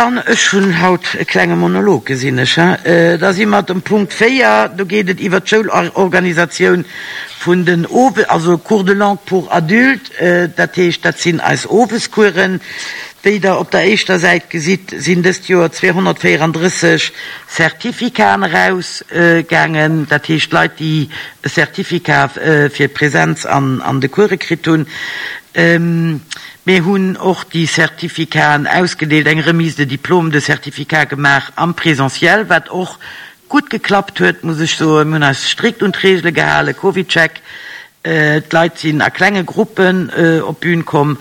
Dann, ech hunn haut e klenge Monolog, gesinn ech, he. Da si mer dem Punkt 4, do geet et iwwert d'Schoulorganisatioun vun den Owe-, also Cours de langue pour adultes, dat heescht, dat sinn eis Owescoursen. Wéi Der op der éischter Säit gesitt, sinn dëst Joer 234 Certificaten erausgaangen, dat heescht Leit, déi e Certificat fir Präsenz an de Course kritt hunn. Mir hunn och déi Certificaten ausgedeelt, eng Remise de diplôme, de Certificat gemaach am Présentiel, wat och gutt geklappt huet, muss ech soen. Mir hunn eis strikt un d'Reegele gehalen, CovidCheck, d'Leit sinn a klenge Gruppen op d'Bün komm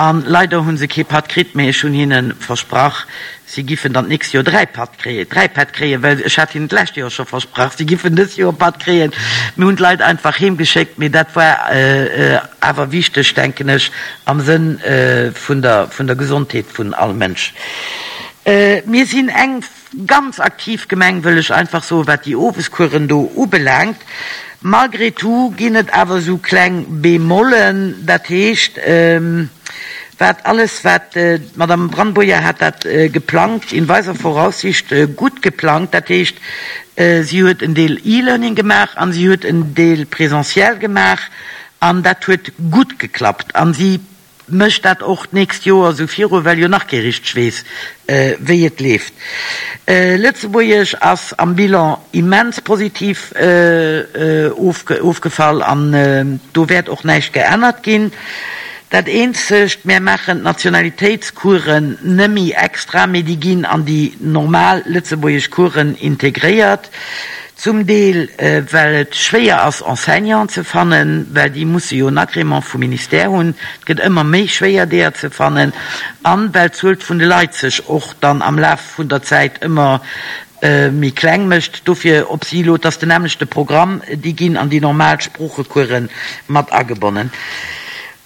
a leider hu se kee Patt kritt, mee ech hunn hinne versprach, Si giffen dann d'nächst Joer 3 Patt kréien, 3 Pätt kréien, well ech hat hinnen d'lescht Joer scho versprach, si giffen dës Joer Patt kréien. Mir hunn d'Leit einfach heem geschéckt, mee dat war awer wichteg, denken ech, am Sënn vun der, vun der Gesondheet vun all Mënsch. Mir sinn eng ganz aktiv Gemeng, wëll ech einfach soen, wat déi Owescoursen do ubelaangt. Malgré tout ginn et awer esou kleng Bémollen, dat heescht, wat alles wat, d'Madame Brandboyer hat dat geplangt, in weiser Voraussicht gutt geplangt, dat heescht, si huet en Deel E-Learning gemaach an si huet en Deel présentiel gemaach an dat huet gutt geklappt an si mécht dat och d'nächst Joer esou viru, well jo nach kee richteg weess, wéi et leeft. Lëtzebuergesch ass am Bilan immens positiv ofgefall an do wäert och näischt geännert ginn. Dat eenzegt, mär maachen d'Nationalitéitscoursen nëmmi extra, mee déi ginn an déi normal lëtzebuergesch Coursen integréiert. Zum Deel well et schwéier ass Enseignanten ze fannen, well déi musse jo en Agrément vum Ministère hunn, et gëtt ëmmer méi schwéier deeër ze fannen, an well d'Zuel vun de Leit sech och dann am Laf vun der Zäit ëmmer méi kleng mécht. Dofir op si elo, et ass den nämmlechte Programm, déi ginn an déi normal Sproochecoursen mat agebonnen.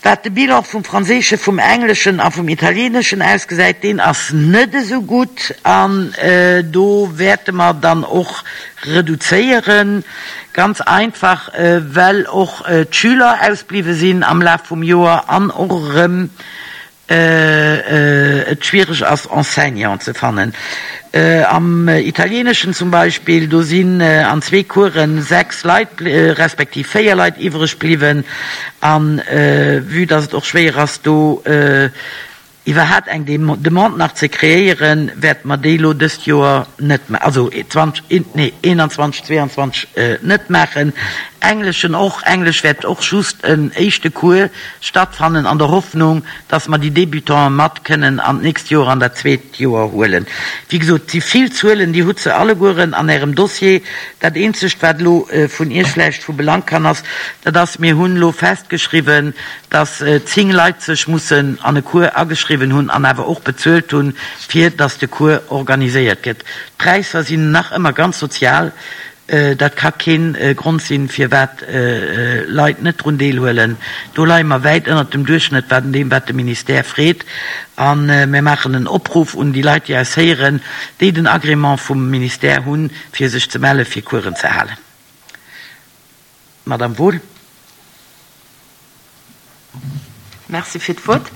Wat de Bilan vum Franséischen, vum Engleschen a vum Italieneschen ausgesäit, deen ass net esou gutt an do wäerte mer dann och reduzéieren, ganz einfach well och d'Schüler ausbliwwe sinn am Laf vum Joer an och erëm et schwiereg ass Enseignant ze fannen. Am Italieneschen zum Beispill, do sinn an zwee Coursen 6 Leit respektiv 4 Leit iwwreg bliwwen. An vue dass et och schwéier ass do iwwerhat eng Demande nach ze kreéieren, wäerte mer déi elo dëst Joer net, also 20, nee 21, 22 net maachen. Engleschen och, Englesch wäert och just en éischte Cours stattfannen an der Hoffnung, dass mer déi Débutante mat kënnen an d'nächst Joer, an dat zweet Joer huelen. Wéi gesot, et si vill Zuelen, Dir hutt se allegueren an Ärem Dossier. Dat eenzegt, wat elo vun Iech vläicht vu Belang kann ass, dat ass, mir hunn elo festgeschriwwen, dass 10 Leit sech mussen an e Cours ageschriwwen hunn an awer och bezuelt hunn, fir dass de Cours organiséiert gëtt. D'Präisser sinn nach ëmmer ganz sozial. Dat ka keen Grond sinn, firwat Leit net drun deelhuelen. Do leie mer wäit ënnert dem Duerchschnëtt wat deem, wat de Ministère freet. A mir maachen en Opruff un déi Leit, déi eis héieren, déi den Agrément vum Ministère hunn, fir sech ze melle fir Coursen ze halen. Madame Wohl. Merci fir d'Wuert.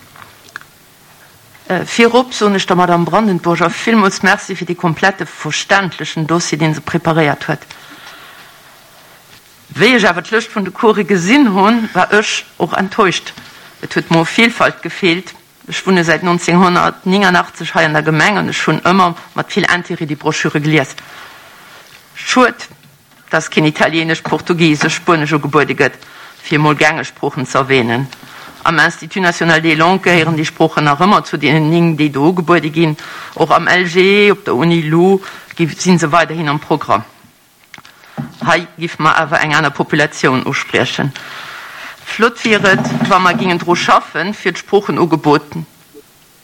Virop soen ech der Madame Brandenburger villmools Merci fir dee komplette verständlechen Dossier, dee se preparéiert huet. Wéi ech awer d'Lëscht vun de Course gesinn hunn, war ech och enttäuscht. Et huet mer u Vielfalt gefeelt. Ech wunne säit 1989 hei an der Gemeng an ech hunn ëmmer mat vill Intérêt déi Broschüre gelies. Schued, dass keen Italienesch, Portugisesch, Spuenesch ugebuede gëtt, fir emol gängeg Sproochen ze erwähnen. Am Institut national des langues gehéieren déi Sproochen nach ëmmer zu deenen 9, déi do ugebuede ginn. Och am LGE, op der Uni-Lu gi si se weiderhin am Programm. Hei giffe mer awer eng aner Populatioun uspriechen. Flott wier et, wa mer gingen dru schaffen, fir d'Sproochenugebot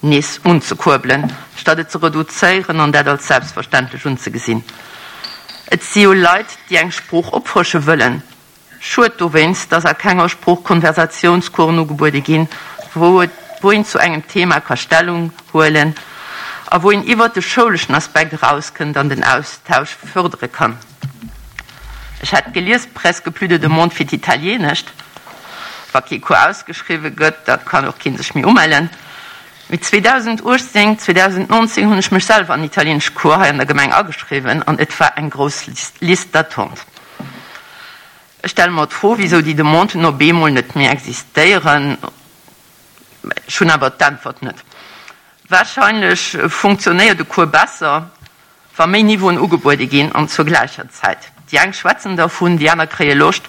nees unzekuerbelen, statt et ze reduzéieren an dat als selbstverständlech unzegesinn. Et si jo Leit, déi eng Sprooch opfrësche wëllen. Schued dowéinst, dass a kenger Sprooch Konversatiounscoursen ugebuede ginn, wou et wou een zu engem Thema ka Stellung huelen a wou een iwwert de schouleschen Aspekt erauskënnt an den Austausch fërdere kann. Ech hat gelies, presque plus de demande fir d'Italienescht. Wa kee Cours ausgeschriwwe gëtt, da kann och kee sech méi umellen. Mee 2018, 2019 hunn ech mech selwer an italienesch Cours hei an der Gemeng ageschriwwen an et war eng grouss Liste d'attente. Ech stelle mer d'Fro, wisou déi Demanden op eemol net méi existéieren. Ech hunn awer d'Äntwert net. Warscheinlech funktionéiert e Cours besser, wa méi Niveauen ugebuede ginn an zur gläicher Zäit. Déi eng schwätzen dervun, déi aner kréie Loscht,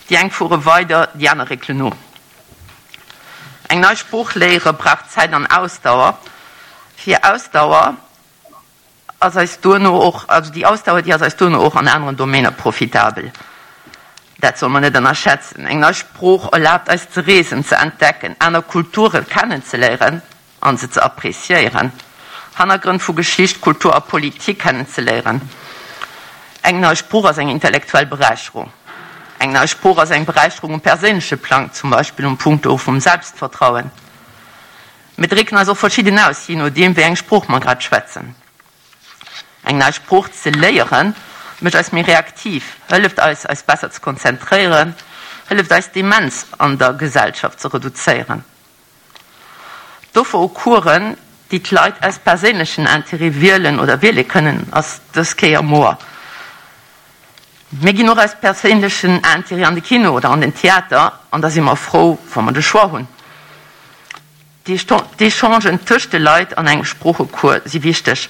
déi eng fuere weider, déi aner réckelen no. Eng nei Sprooch léiere brauch Zäit an Ausdauer. Fir Ausdauer ass eis duerno och, also déi Ausdauer, déi ass eis duerno och an aneren Domainer profitabel. Dat soll mer net ënnerschätzen. Eng nei Sprooch erlaabt eis ze reesen, ze entdecken, aner Kulture kennenzeléieren an se ze appreciéieren, Hannergrënn vu Geschicht, Kultur a Politik kennenzeléieren. Eng nei Sprooch ass eng intellektuell Beräicherung. Eng nei Sprooch ass eng Beräicherung um perséinleche Plang, zum Beispill um Punkto vum Selbstvertrauen. Mir drécken eis och verschidden aus, jee nodeem wéi eng Sprooch mer grad schwätzen. Eng nei Sprooch ze léieren, mécht eis méi reaktiv, hëlleft eis, eis besser ze konzentréieren, hëlleft eis d'Demenz an der Gesellschaft ze reduzéieren. D'Offer u Coursen, déi d'Leit aus perséinlechen Intérêt wielen oder wiele kënnen, ass dës Kéier moer. Mir ginn och aus perséinlechen Intérêt an de Kino oder an den Theater an da si mer frou, wa mer de Choix hunn. D'Echangen tëscht de Leit an engem Sproochecours si wichteg.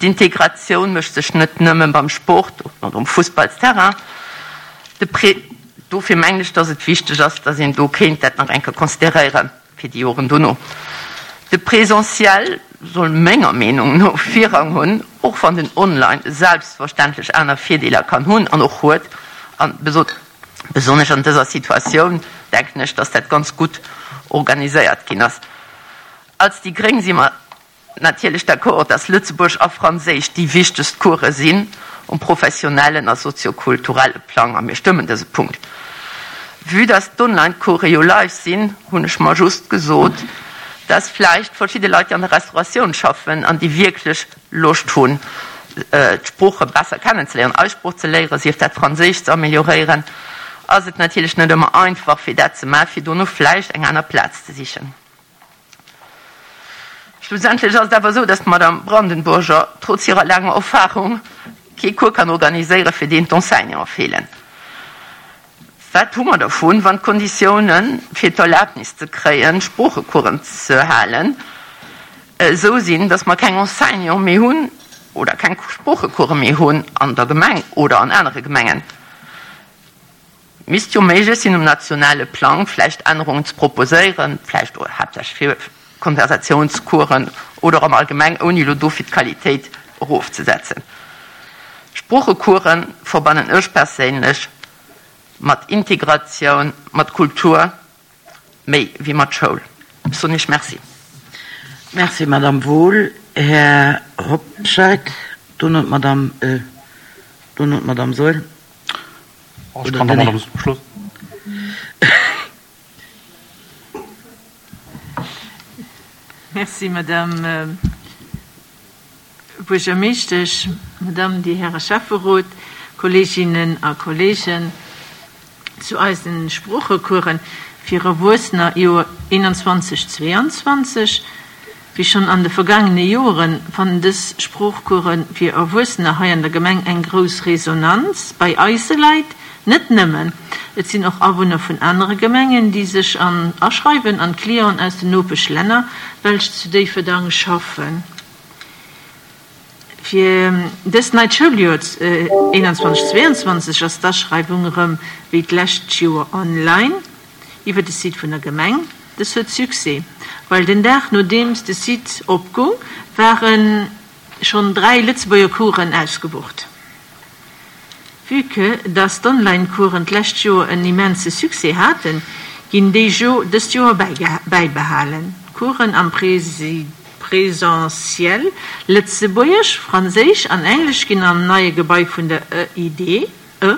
D'Integratioun mécht sech net nëmme beim Sport oder um Fussballsterrain. De Pré. Dofir mengen ech, dass et wichteg ass, dass een do kéint dat nach eng Kéier consideréiere fir déi Joren dono. De Présentiel soll menger Meenung no Virrang hunn, och wann den Online selbstverständlech aner Virdeeler kann hunn an och huet. A besonnesch an dëser Situatioun denken ech, dass dat ganz gutt organiséiert ginn ass. Als déi gréng si mer Natierlech d'accord, dass Lëtzebuergesch a Franséisch déi wichtegst Course sinn um professionellen a soziokulturelle Plang a mir stëmmen dëse Punkt. Vue dass d'Online-Course jo live sinn, hunn ech mer just gesot, dass vläicht verschidde Leit, déi an der Restauratioun schaffen an déi wierklech Loscht hunn, d'Sprooche besser kennenzeléieren, eis Sprooch ze léieren, sief dat Franséisch ze amélioréieren, ass et natierlech net ëmmer einfach fir dat ze maachen, fir dono vläicht eng aner Plaz ze sichen. Schlussendlech ass et awer esou, dass d'Madame Brandenburger trotz hirer laanger Erfahrung kee Cours kann organiséieren, fir deen d'Enseignanten feelen. Wat hu mer dervun, wann d'Konditiounen, fir d'Erlaabnis ze kréien, Sproochecoursen ze halen, esou sinn, dass mer keng Enseignante méi hunn oder keng Sproochecourse méi hunn an der Gemeng oder an anere Gemengen? Misst jo méiglech sinn, um nationale Plang vläicht Ännerungen ze proposéieren, vläicht haaptsächlech fir Konversatiounscoursen oder am Allgemeng, ouni elo dofir d'Qualitéit erofzesetzen. Sproochecoursen verbannen ech perséinlech mat Integratioun, mat Kultur, méi wéi mat Schoul. Ech soen Iech Merci. Merci, Madame Wohl. Här Hobscheit, dono d'Madame, dono d'Madame Saeul. Ech kann da mat am Schluss. Merci, Madame Buergermeeschtesch, Madame, Dir Häre Schäfferot, Kolleeginnen a Kolleegen. Zu eisen Sproochecoursen fir Erwuessener, Joer 21, 22, Wéi schonn an de vergaangene Joren, fannen dës Sproochcourse fir Erwuessener hei an der Gemeng eng grouss Resonanz bei eise Leit. Net nëmmen, et sinn och Awunner vun anere Gemengen, déi sech an aschreiwen an Clienten aus den Nopeschlänner, welch zu Déifferdang schaffen. Fir dëst neit Schouljoer 21, 22 ass d'Aschreiwung erëm wéi d'lescht Joer online. Iwwer de Site vun der Gemeng. Dës huet Succès, well den Dag nodeems de Site opgung, ware schonn 3 Lëtzebuerger Coursen ausgebucht. Vue que dass d'Online-Coursen d'lescht Joer en immense Succès haten, ginn déi jo dëst Joer bäibehalen. D'Coursen am Presentiel, Lëtzebuergesch, Franséisch an Englesch, ginn am neie Gebai vun der EID, E,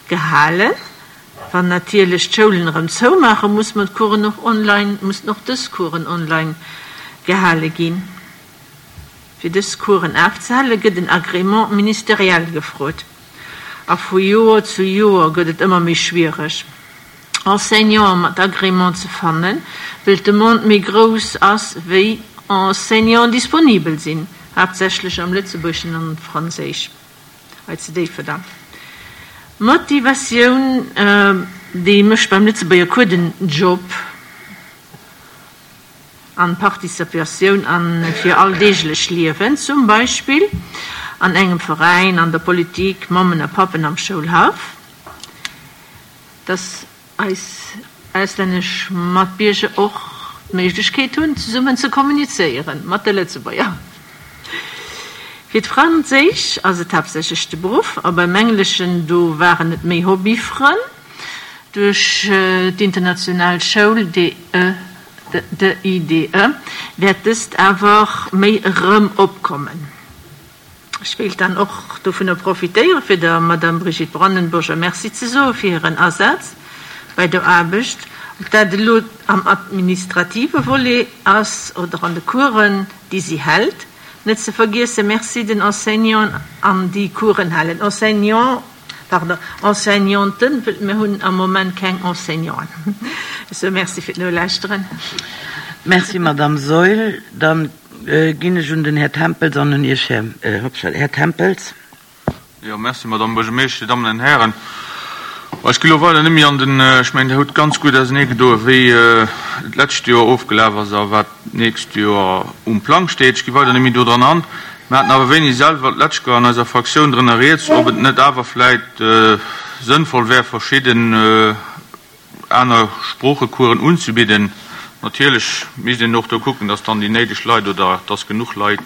gehalen. Wann natierlech d'Schoulen erëm zoumaachen, muss mer d'Coursen och online, mussen och dës Coursen online gehale ginn. Fir dës Coursen afzehale gëtt en Agrément ministériel gefrot. A vu Joer zu Joer gëtt et ëmmer méi schwiereg, Enseignanten mat Agrément ze fannen, well d'Demande méi grouss ass wéi. Enseignanten disponibel sinn, haaptsächlech am Lëtzebuergeschen an Franséisch hei zu Déifferdang. Motivatioun, déi mécht beim Lëtzebuerger Cours den Job an Participatioun an fir alldeeglech Liewen, zum Beispill an engem Veräin, an der Politik, Mammen a Pappen am Schoulhaff, dass eis auslännesch Matbierger och d'Méiglechkeet hunn, zesummen ze kommunizéieren mat de Lëtzebuerger. Fir d'Franséisch ass et haaptsächlech de Beruff, a beim Engleschen, do waren et méi Hobbyfrënn. Duerch d'international Schoul, DE, DIDE, wäert dëst awer méi erëm opkommen. Ech wéilt dann och dovunner profitéieren, fir der Madame Brigitte Brandenburger Merci ze soe fir hiren Asaz bei der Aarbecht, ob dat elo am administrative Volet ass oder an de Coursen, déi si hält. Net ze vergiesse Merci den Enseignanten an déi Coursen halen. Enseignant, pardon, Enseignanten, wëll mir hunn am Moment keng Enseignanten. Ech soe Merci fir d'Nolauschteren. Merci, Madame Saeul. Dann Ginn ech un den Här Tempels an un Iech, Här Hobscheit. Här Tempels. Jo, merci, Madamm Buergermeeschter, Dir Dammen an Hären. Ech gi lo weider net méi an den, ech mengen, Dir hutt ganz gutt auserneegedoen, wéi d'lescht Joer ofgelaf ass a wat d'nächst Joer um Plang steet. Ech gi weider net méi do dran an. Mir haten awer wéini selwer d'lescht Joer an eiser Fraktioun drënner rieds, ob et net awer vläicht sënnvoll wär, verschidden, aner Sproochecoursen unzebidden. Natierlech misst een och do kucken, dass dann déi néideg Leit oder dass genuch Leit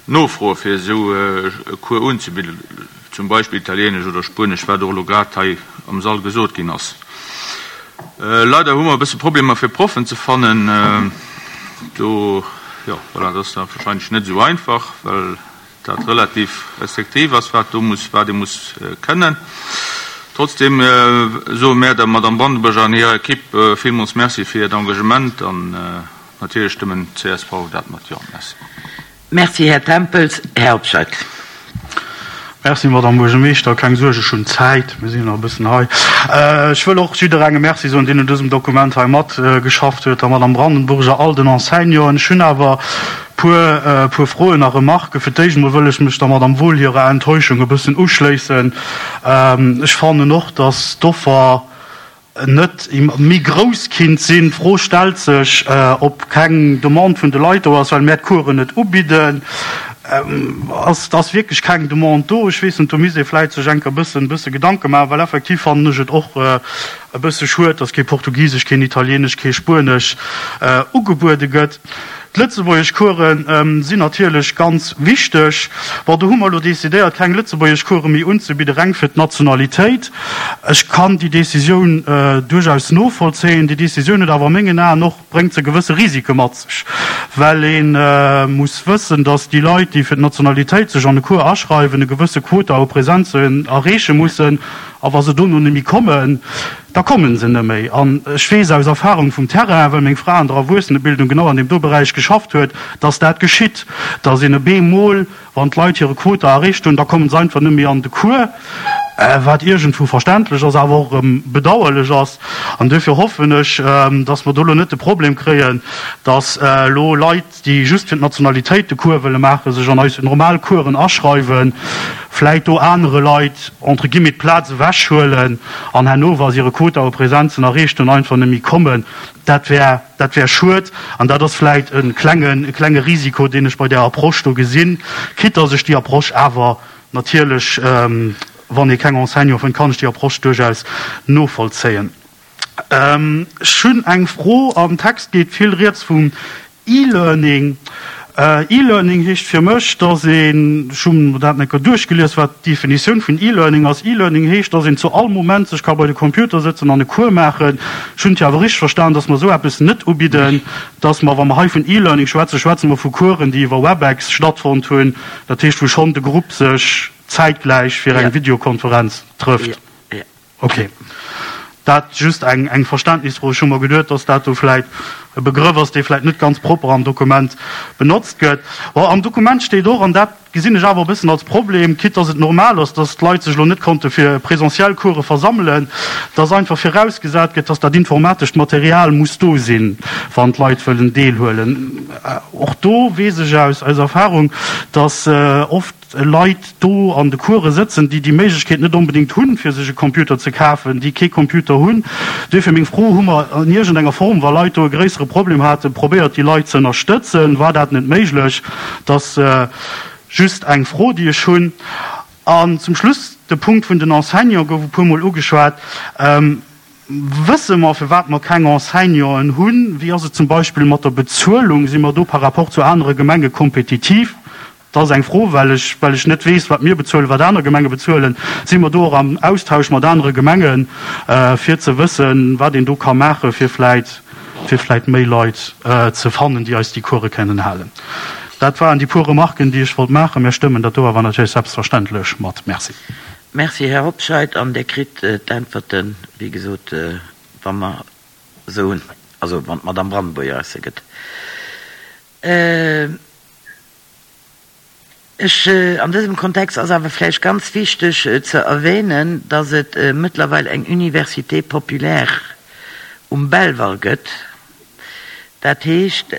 nofroe fir esou e Cours unzebidden, zum Beispill Italienesch oder Spuenesch, wat och elo grad hei am Sall gesot ginn ass. Leider hu mer e bësse Problemer fir Proffen ze fannen. Do, jo, voilà, dat ass da wahrscheinlech net esou einfach, well dat relativ restriktiv ass, wat do muss, wat ee muss kënnen. Trotzdem soe mär der Madame Brandenburger an hirer Equipe villmools Merci fir hiert Engagement an natierlech stëmmen d'CSV dat mat Jo. Merci. Merci, Här Tempels. Här Hobscheit. Merci, Madame Buergermeeschter. Keng Suerg, ech hunn Zäit, mir sinn jo nach e bëssen hei. Ech wëll och jidderengem Merci soen, deen un dësem Dokument hei matgeschafft huet, der Madame Brandenburger, all den Enseignanten. Ech hunn awer Puer puer Froen a Remarken. Fir d'éischt emol wëll ech mech der Madame Wohl hirer Enttäuschung e bëssen uschléissen. Ech fannen och, dass d'Offer net méi grouss kinnt sinn. D'Fro stellt sech, ob keng Demande vun de Leit do ass, well mär d'Coursen net ubidden. Ass ass wierklech keng Demande do? Ech weess net, do misst ee vläit sech enker e bëssen bësse Gedanke maachen, well effektiv fannen ech et och e bësse schued, dass kee Portugisesch, keen Italienesch, kee Spuenesch ugebuede gëtt. D'lëtzebuergesch Coursen sinn natierlech ganz wichteg. Bon, do hu mer elo decidéiert, keng lëtzebuergesch Course méi unzebidden, reng fir d'Nationalitéit. Ech kann déi Décisioun duerchaus novollzéien. Déi Décisioun huet awer a mengen Aen och, bréngt se gewësse Risike mat sech, well ee muss wëssen, datt déi Leit, déi fir d'Nationalitéit sech an e Cours aschreiwen, e gewësse Quota u Presenzen erreeche mussen. A wa se dono net méi kommen, da kommen se net méi. An ech weess aus Erfahrung vum Terrain, well meng Fra an der Erwuessenebildung genau an deem do Beräich geschafft huet, dass dat geschitt, dass een op eemol, wann d'Leit hire Quota erreecht hunn, da kommen se einfach net méi an de Cours, wat iergendwou verständlech ass, awer och erëm bedauerlech ass. An duerfir hoffen ech, dass mer do elo net de Problem kréien, dass elo Leit, déi just fir d'Nationalitéit de Cours wëlle maachen, sech an eis normal Coursen aschreiwen, vläit do anere Leit entre guillemets d'Plaz ewechhuelen an herno, wa se hire Quota u Presenzen erreecht hunn, einfach net méi kommen. Dat wär, dat wär schued an dat ass vläit e klengen, e klenge Risiko, deen ech bei där Approche do gesinn, quitte dass ech déi Approche awer natierlech, wann ee keng Enseignant fënnt, kann ech déi Approche duerchaus novollzéien. Ech hunn eng Fro. Am Text geet vill rieds vum E-Learning. E-Learning heescht fir mech, dass een, ech hu mer dat eng Kéier duerchgelies, wat d'Definitioun vun E-Learning ass, E-Learning heescht, dass een zu all Moment sech ka bei de Computer sëtzen an e Cours maachen. Ech hunn et jo awer richteg verstan, dass mer esou eppes net ubidden, dass mer, wa mer hei vun E-Learning schwätzen, schwätze mer vu Coursen, déi iwwer Webex stattfonnt hunn, dat heescht, wou schonn de Grupp sech zäitgläich fir eng Videokonferenz trëfft. Ok. Dat just eng eng Verständnisfro. Ech hu mer geduet, dass dat do vläit. e Begrëff ass, dee vläicht net ganz propper am Dokument benotzt gëtt. Bon, am Dokument steet och, an dat gesinn ech awer e bëssen als Problem, quitte dass et normal ass, dass d'Leit sech elo net konnte fir presentiell Course versammelen, dass einfach virausgesat gëtt, dass dat informatescht Material muss do sinn, wann d'Leit wëllen deelhuelen. Och do weess ech aus Erfahrung, dass oft Leit do an de Course sëtzen, déi déi Méiglechkeet net onbedéngt hunn, fir sech e Computer ze kafen, déi kee Computer hunn. Duerfir meng Fro, Hu mer an iergendenger Form, wa Leit do e gréissere Problem haten, probéiert, déi Leit ze ënnerstëtzen? War dat net méiglech? Dat ass just eng Fro, déi ech hunn. An zum Schluss, de Punkt vun den Enseignants gouf e puermol ugeschwat. Wësse mer, firwat mer keng Enseignanten hunn? Wéi ass et zum Beispill mat der Bezuelung? Si mer do par rapport zu anere Gemenge kompetitiv? Dat ass eng Fro, well ech, well ech net weess, wat mir bezuelen, wat aner Gemenge bezuelen. Si mer do och am Austausch mat anere Gemengen, fir ze wëssen, wat een do ka maachen, fir vläit, fir vläit méi Leit ze fannen, déi eis déi Course kënnen halen? Dat waren déi puer Remarken, déi ech wollt maachen. Mir stëmmen dat do awer natierlech selbstverständlech mat. Merci. Merci, Här Hobscheit. An Dir kritt d'Äntwerten, wéi gesot, wa mer se hunn, also wann d'Madame Brandebourger eis se gëtt. Ech, an dësem Kontext ass awer vläicht ganz wichteg ze erwähnen, dass et mëttlerweil eng Université populaire um Belval gëtt. Dat heescht,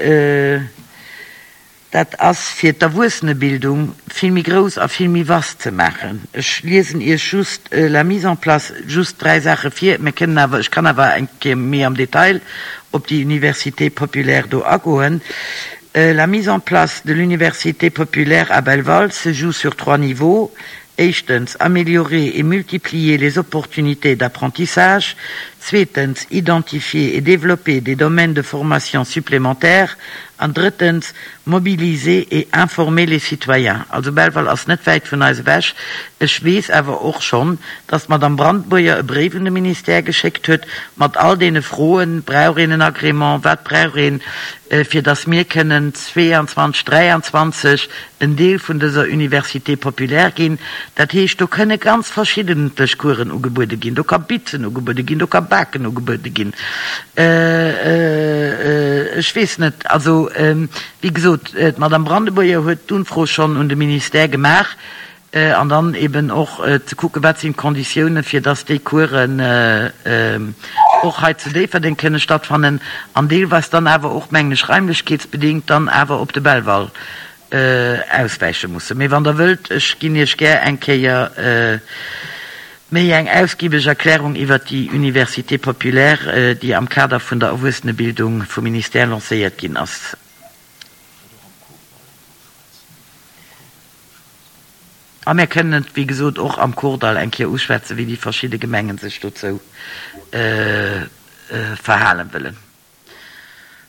dat ass fir d'Erwuessenebildung vill méi grouss a vill méi vast ze maachen. Ech liesen Iech just la mise en place, just dräi Saache vir. Mir kënnen awer, ech kann awer eng Kéier méi am Detail op déi Université populaire do agoen. La mise en place de l'université populaire à Belval se joue sur trois niveaux, éischtens, améliorer et multiplier les opportunités d'apprentissage, zweetens, identifier et développer des domaines de formation supplémentaires an drëttens, mobiliser et informer les citoyens. Also Belval ass net wäit vun eis ewech. Ech weess awer och schonn, dass d'Madame Brandburger e Bréif un de Ministère geschéckt huet mat all deene Froen, Brauch een en Agrément? Wat brauch een, fir dass mir kënnen 22, 23 en Deel vun dëser Université populaire ginn? Dat heescht, do kënne ganz verschiddentlech Coursen ugebuede ginn. Do ka Bitzen ugebuede ginn, do ka Baken ugebuede ginn. Ech weess net, also wéi gesot, d'Madame Brandebourger huet d'Unfro schonn un de Ministère gemaach. An dann eben och ze kucken, wat sinn d'Konditiounen, fir dass déi Coursen och hei zu Déifferdeng kënne stattfannen an deelweis dann awer och, mengen ech, raimlechkeetsbedingt dann awer op de Belval auswäiche mussen. Mee wann Der wëllt, ech ginn Iech gär eng Kéier méi eng ausgiebeg Erklärung iwwert déi Université populaire, déi am Kader vun der Erwuessenebildung vum Ministère lancéiert ginn ass. A mir kënnen et, wéi gesot, och am Kordall eng Kéier uschwätzen, wéi déi verschidde Gemengen sech dozou verhalen wëllen.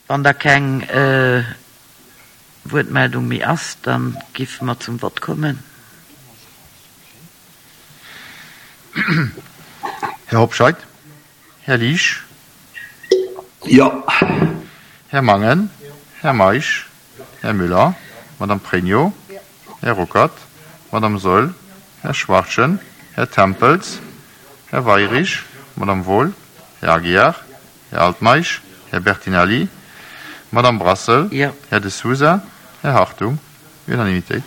Wann da keng Wuertmeldung méi ass, da géife mer zum Vott kommen. Här Hobscheit. Här Liesch. Jo. Här Mangen. Här Meisch. Här Müller. Madame Pregno. Här Ruckert. Madame Saeul. Här Schwachtgen. Här Tempels. Här Weyrich. Madame Wohl. Här Aguiar. Här Altmeisch. Här Bertinelli. Madame Brassel. Här De Sousa. Här Hartung. Unanimitéit.